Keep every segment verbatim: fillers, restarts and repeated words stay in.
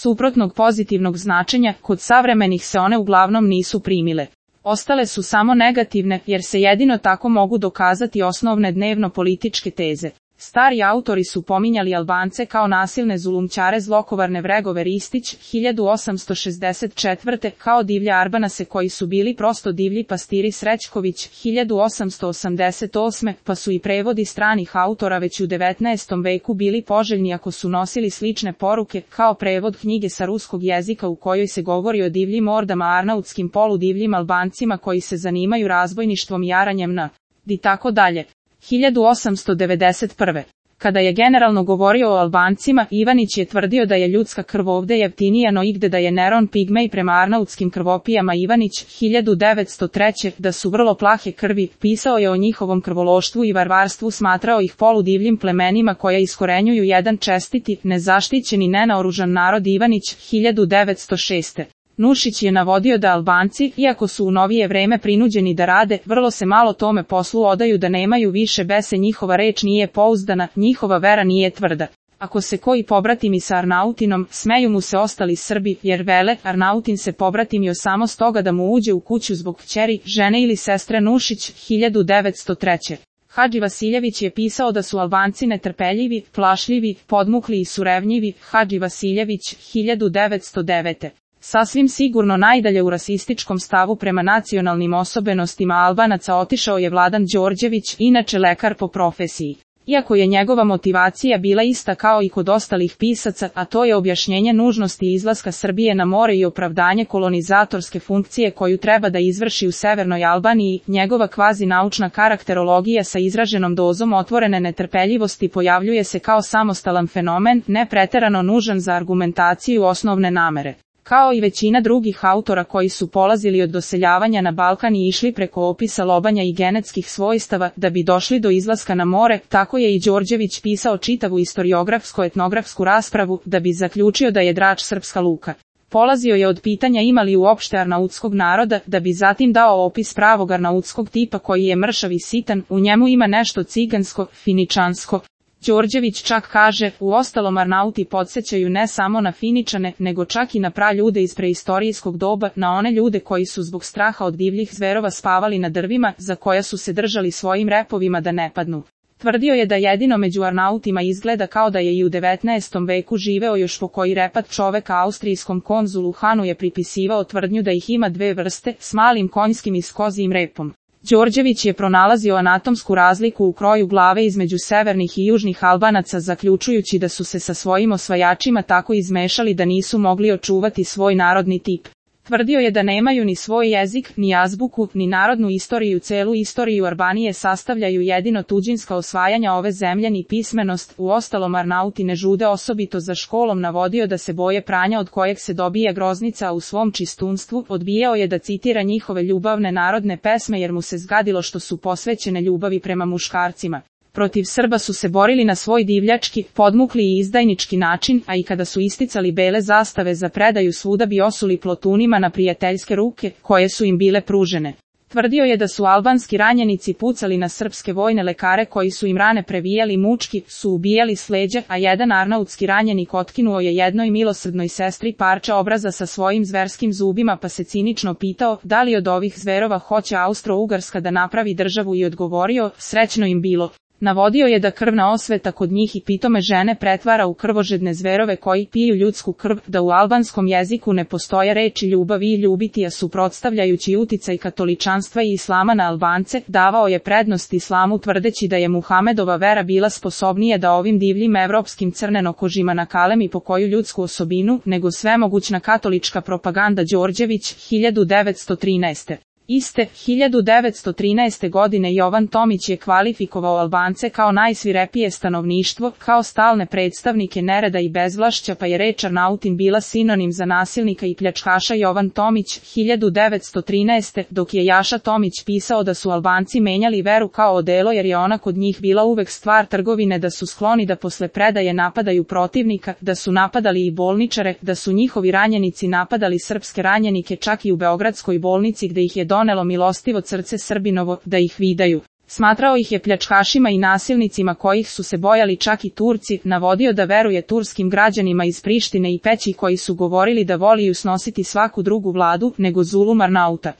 suprotnog pozitivnog značenja, kod savremenih se one uglavnom nisu primile. Ostale su samo negativne, jer se jedino tako mogu dokazati osnovne dnevno-političke teze. Stari autori su pominjali Albance kao nasilne zulumčare zlokovarne vregove Ristić, hiljadu osamsto šezdeset četvrte kao divlje Arbanase koji su bili prosto divlji pastiri Srećković, hiljadu osamsto osamdeset osme pa su i prevodi stranih autora već u devetnaestom veku bili poželjni ako su nosili slične poruke, kao prevod knjige sa ruskog jezika u kojoj se govori o divljim ordama arnautskim poludivljim Albancima koji se zanimaju razbojništvom i jaranjem na i tako dalje. hiljadu osamsto devedeset prve Kada je generalno govorio o Albancima, Ivanić je tvrdio da je ljudska krv ovde jeftinija no igde, da je Neron pigmej prema arnautskim krvopijama. Ivanić, hiljadu devetsto treće da su vrlo plahe krvi, pisao je o njihovom krvološtvu i varvarstvu, smatrao ih poludivljim plemenima koja iskorenjuju jedan čestiti, nezaštićeni, nenaoružan narod. Ivanić, hiljadu devetsto šeste Nušić je navodio da Albanci, iako su u novije vreme prinuđeni da rade, vrlo se malo tome poslu odaju, da nemaju više bese, njihova reč nije pouzdana, njihova vera nije tvrda. Ako se koji pobratimi sa Arnautinom, smeju mu se ostali Srbi, jer vele, Arnautin se pobratimio samo stoga da mu uđe u kuću zbog kćeri, žene ili sestre. Nušić, hiljadu devetsto treće Hadži Vasiljević je pisao da su Albanci netrpeljivi, plašljivi, podmukli i surevnjivi. Hadži Vasiljević, hiljadu devetsto devete Sasvim sigurno najdalje u rasističkom stavu prema nacionalnim osobenostima Albanaca otišao je Vladan Đorđević, inače lekar po profesiji. Iako je njegova motivacija bila ista kao i kod ostalih pisaca, a to je objašnjenje nužnosti izlaska Srbije na more i opravdanje kolonizatorske funkcije koju treba da izvrši u Severnoj Albaniji, njegova kvazi naučna karakterologija sa izraženom dozom otvorene netrpeljivosti pojavljuje se kao samostalan fenomen, ne preterano nužan za argumentaciju osnovne namere. Kao i većina drugih autora koji su polazili od doseljavanja na Balkan i išli preko opisa lobanja i genetskih svojstava da bi došli do izlaska na more, tako je i Đorđević pisao čitavu istoriografsko-etnografsku raspravu da bi zaključio da je Drač srpska luka. Polazio je od pitanja ima li uopšte arnautskog naroda, da bi zatim dao opis pravog arnautskog tipa koji je mršav i sitan, u njemu ima nešto cigansko, finičansko. Đorđević čak kaže, uostalom Arnauti podsjećaju ne samo na Finičane, nego čak i na praljude iz preistorijskog doba, na one ljude koji su zbog straha od divljih zverova spavali na drvima, za koja su se držali svojim repovima da ne padnu. Tvrdio je da jedino među Arnautima izgleda kao da je i u devetnaestom veku živeo još pokoji repat čoveka. Austrijskom konzulu Hanu je pripisivao tvrdnju da ih ima dve vrste, s malim konjskim i s kozijim repom. Đorđević je pronalazio anatomsku razliku u kroju glave između severnih i južnih Albanaca, zaključujući da su se sa svojim osvajačima tako izmešali da nisu mogli očuvati svoj narodni tip. Tvrdio je da nemaju ni svoj jezik, ni azbuku, ni narodnu istoriju. Celu istoriju Albanije sastavljaju jedino tuđinska osvajanja ove zemlje, ni pismenost. Uostalom Arnauti ne žude osobito za školom. Navodio da se boje pranja od kojeg se dobija groznica, a u svom čistunstvu odbijao je da citira njihove ljubavne narodne pesme jer mu se zgadilo što su posvećene ljubavi prema muškarcima. Protiv Srba su se borili na svoj divljački, podmukli i izdajnički način, a i kada su isticali bele zastave za predaju svuda bi osuli plotunima na prijateljske ruke, koje su im bile pružene. Tvrdio je da su albanski ranjenici pucali na srpske vojne lekare koji su im rane previjali mučki, su ubijali s leđa, a jedan arnautski ranjenik otkinuo je jednoj milosrdnoj sestri parče obraza sa svojim zverskim zubima pa se cinično pitao da li od ovih zverova hoće Austro-Ugarska da napravi državu i odgovorio, srećno im bilo. Navodio je da krvna osveta kod njih i pitome žene pretvara u krvožedne zverove koji piju ljudsku krv, da u albanskom jeziku ne postoje reči ljubavi i ljubiti, a suprotstavljajući uticaj katoličanstva i islama na Albance, davao je prednost islamu tvrdeći da je Muhamedova vera bila sposobnija da ovim divljim evropskim crnenokožima nakalemi po koju ljudsku osobinu, nego svemogućna katolička propaganda. Đorđević, hiljadu devetsto trinaeste Iste, hiljadu devetsto trinaeste godine Jovan Tomić je kvalifikovao Albance kao najsvirepije stanovništvo, kao stalne predstavnike nereda i bezvlašća, pa je reč Arnautin bila sinonim za nasilnika i pljačkaša. Jovan Tomić, hiljadu devetsto trinaeste dok je Jaša Tomić pisao da su Albanci menjali veru kao odelo jer je ona kod njih bila uvek stvar trgovine, da su skloni da posle predaje napadaju protivnika, da su napadali i bolničare, da su njihovi ranjenici napadali srpske ranjenike čak i u beogradskoj bolnici gde ih je donelo milostivo srce Srbinovo, da ih vidaju. Smatrao ih je pljačkašima i nasilnicima kojih su se bojali čak i Turci, navodio da veruje turskim građanima iz Prištine i Peći koji su govorili da voliju snositi svaku drugu vladu nego zulum Arnauta.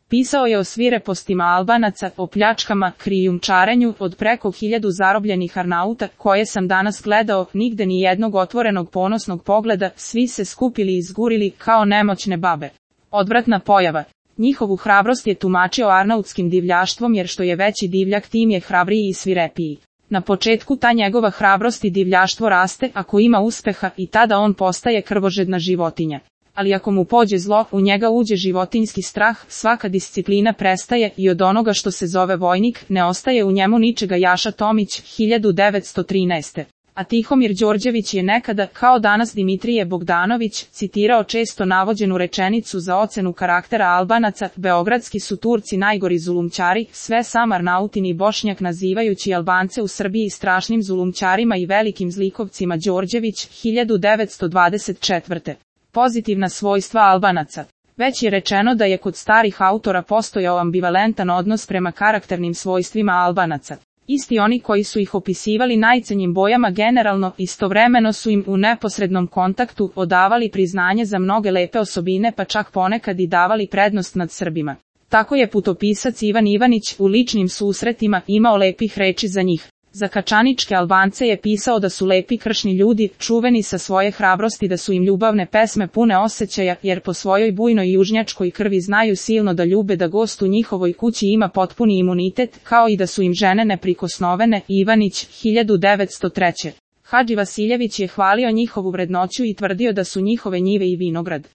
Pisao je o svirepostima Albanaca, o pljačkama, krijumčarenju, od preko hiljadu zarobljenih Arnauta, koje sam danas gledao, nigde ni jednog otvorenog ponosnog pogleda, svi se skupili i izgurili kao nemoćne babe. Odvratna pojava. Njihovu hrabrost je tumačio arnautskim divljaštvom jer što je veći divljak tim je hrabriji i svirepiji. Na početku ta njegova hrabrost i divljaštvo raste ako ima uspeha i tada on postaje krvožedna životinja. Ali ako mu pođe zlo, u njega uđe životinjski strah, svaka disciplina prestaje i od onoga što se zove vojnik ne ostaje u njemu ničega. Jaša Tomić, hiljadu devetsto trinaeste. A Tihomir Đorđević je nekada, kao danas Dimitrije Bogdanović, citirao često navođenu rečenicu za ocenu karaktera Albanaca: beogradski su Turci najgori zulumčari, sve sam Arnautin i Bošnjak, nazivajući Albance u Srbiji strašnim zulumčarima i velikim zlikovcima. Đorđević, hiljadu devetsto dvadeset četvrte. Pozitivna svojstva Albanaca. Već je rečeno da je kod starih autora postojao ambivalentan odnos prema karakternim svojstvima Albanaca. Isti oni koji su ih opisivali najcenjim bojama generalno, istovremeno su im u neposrednom kontaktu odavali priznanje za mnoge lepe osobine, pa čak ponekad i davali prednost nad Srbima. Tako je putopisac Ivan Ivanić u ličnim susretima imao lepih reči za njih. Za kačaničke Albance je pisao da su lepi kršni ljudi, čuveni sa svoje hrabrosti, da su im ljubavne pesme pune osjećaja, jer po svojoj bujnoj južnjačkoj krvi znaju silno da ljube, da gost u njihovoj kući ima potpuni imunitet, kao i da su im žene neprikosnovene. Ivanić, hiljadu devetsto treće. Hadži Vasiljević je hvalio njihovu vrednoću i tvrdio da su njihove njive i vinograd.